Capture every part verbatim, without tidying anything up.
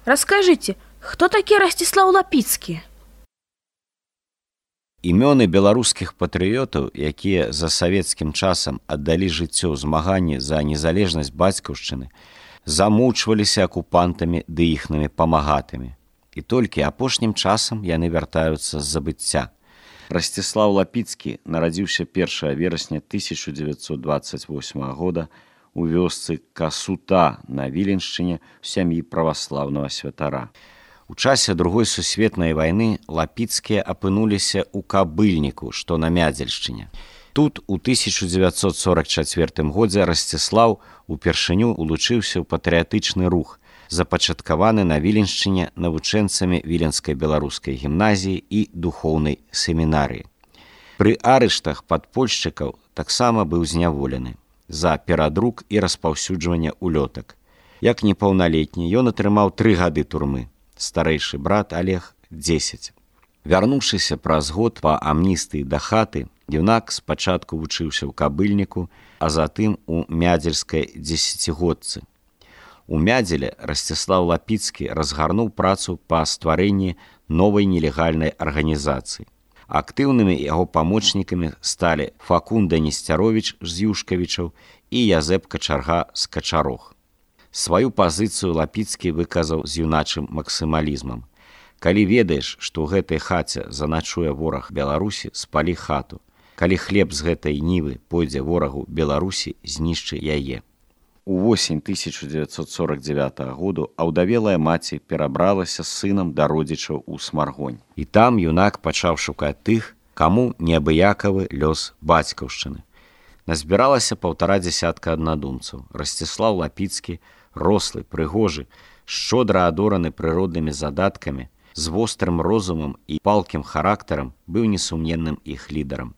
Расскажите, кто такі Расціслаў Лапіцкі? Імёны беларускіх патрыётаў, якія за савецкім часам аддалі жыццё ў змаганні за незалежнасць бацькаўшчыны, замучваліся акупантамі ды іхнымі памагатымі. І толькі апошнім часам яны вяртаюцца з забыцця. Расціслаў Лапіцкі нарадзіўся першага верасня тысяча дзевяцьсот дваццаць восьмага года у вёсцы Касута на Віленшчыне ў сям'і праваслаўнага святара. У часе Другой сусветнай вайны Лапіцкія апынуліся ў Кабыльніку, што на Мядзельшчыне. Тут у тысяча дзевяцьсот сорак чацвёртым годзе Расціслаў упершыню улучыўся ў патрыятычны рух, запачаткаваны на Віленшчыне навучэнцамі Віленскай беларускай гімназіі і духоўнай семінарыі. Пры арыштах падпольшчыкаў таксама быў зняволены за перадрук і распаўсюджванне улётак. Як непаўналетні, ён атрымаў тры гады турмы. Старэйшы брат Олег – дзесяць. Вярнуўшыся праз год па амністыі да хаты, юнак спачатку вучыўся ў Кабыльніку, а затым у Мядзельскай дзесяцігодцы. У Мядзеле Расціслаў Лапіцкі разгарнуў працу па стварэнні новай нелегальнай арганізацыі. Актыўнымі яго памочнікамі сталі Факунда Несцяровіч з Юшкавічаў і Язэп Качарга з Качарог. Сваю пазіцыю Лапіцкі выказаў з юначым максімалізмам. Калі ведаеш, што ў гэтай хаце заначуе вораг Беларусі, спалі хату. Калі хлеб з гэтай нівы пойдзе ворагу Беларусі, знішчы яе. Увосень тысяча дзевяцьсот сорак дзевятага году аўдавелая маці перабралася з сынам да родзічаў у Смаргонь. І там юнак пачаў шукаць тых, каму неабыякавы лёс бацькаўшчыны. Назбіралася паўтара дзясятка аднадумцаў. Расціслаў Лапіцкі, рослы, прыгожы, шчодра адораны прыроднымі задаткамі, з вострым розумам і палкім характарам, быў несумненным іх лідарам.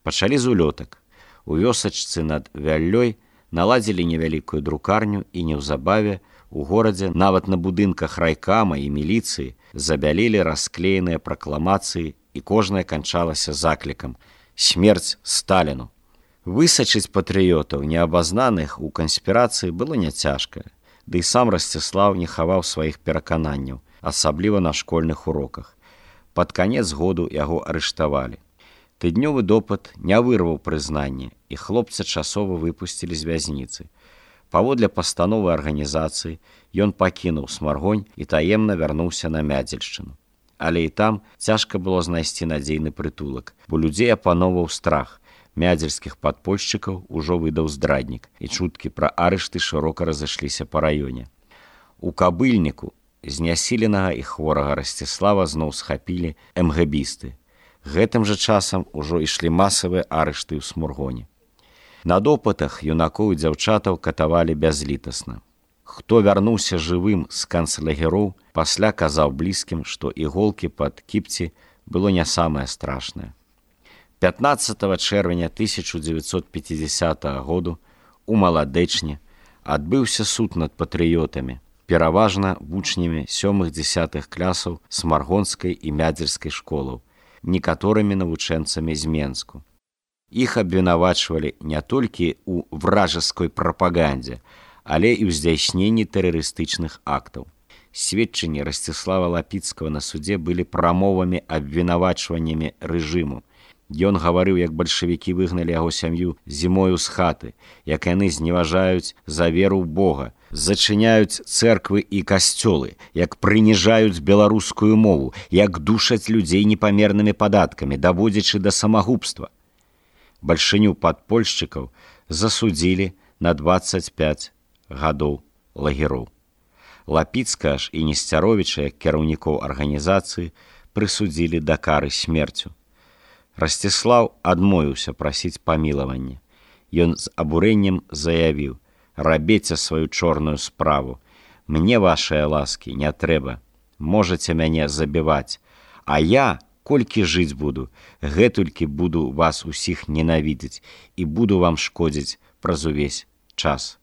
Пачалі з улётак. У вёсачцы над Вяллёй наладзілі невялікую друкарню і неўзабаве у горадзе нават на будынках райкама і міліцыі забялелі расклееныя пракламацыі, і кожная канчалася заклікам «Смерць Сталіну». Высачыць патрыётаў, неабазнаных у канспірацыі, было няцяжка, ды і сам Расціслаў не хаваў сваіх перакананняў, асабліва на школьных уроках. Пад канец году яго арыштавалі. Тыднёвы допыт не вырваў прызнанне, і хлопца часова выпусцілі з вязніцы. Паводле пастановы арганізацыі ён пакінуў Смаргонь і таемна вярнуўся на Мядзельшчыну. Але і там цяжка было знайсці надзейны прытулак, бо людзей апаноўваў страх. Мядзельскіх падпольшчыкаў ужо выдаў здраднік, і чуткі пра арышты шырока разышліся па раёне. У Кабыльніку знясіленага і хворага Расціслава зноў схапілі эмгэбісты. Гэтым жа часам ужо ішлі масавыя арышты ў Смаргоні. На допытах юнакоў і дзяўчатаў катавалі бязлітасна. Хто вярнуўся жывым з канцлагероў, пасля казаў блізкім, што іголкі пад кіпці было не самае страшнае. пятнаццатага чэрвеня тысяча дзевяцьсот пяцідзясятага году у Маладэчне адбыўся суд над патрыётамі, пераважна вучнямі сёмых-дзясятых клясаў Смаргонскай і Мядзельскай школаў, некаторымі навучэнцамі з Менску. Іх абвінавачвалі не толькі ў вражаскай прапагандзе, але і ў здзяйсненні тэрарыстычных актаў. Сведчанні Расціслава Лапіцкага на судзе былі прамовамі абвінавачваннямі рэжыму. Ён гаварыў, як бальшавікі выгналі яго сям'ю зімою з хаты, як яны зневажаюць за веру ў Бога, зачыняюць цэрквы і касцёлы, як прыніжаюць беларускую мову, як душаць людзей непамернымі падаткамі, даводзячы да самагубства. Бальшыню падпольшчыкаў засудзілі на дваццаць пяць гадоў лагероў. Лапіцкага ж і Несцяровіча, як кіраўнікоў арганізацыі, прысудзілі да кары смерцю. Расціслаў адмовіўся прасіць памілавання. Ён з абурэннем заявіў: «Рабіце сваю чорную справу. Мне вашыя ласкі не трэба. Можаце мяне забіваць. А я, колькі жыць буду, гэтулькі буду вас усіх ненавідзець і буду вам шкодзіць праз увесь час».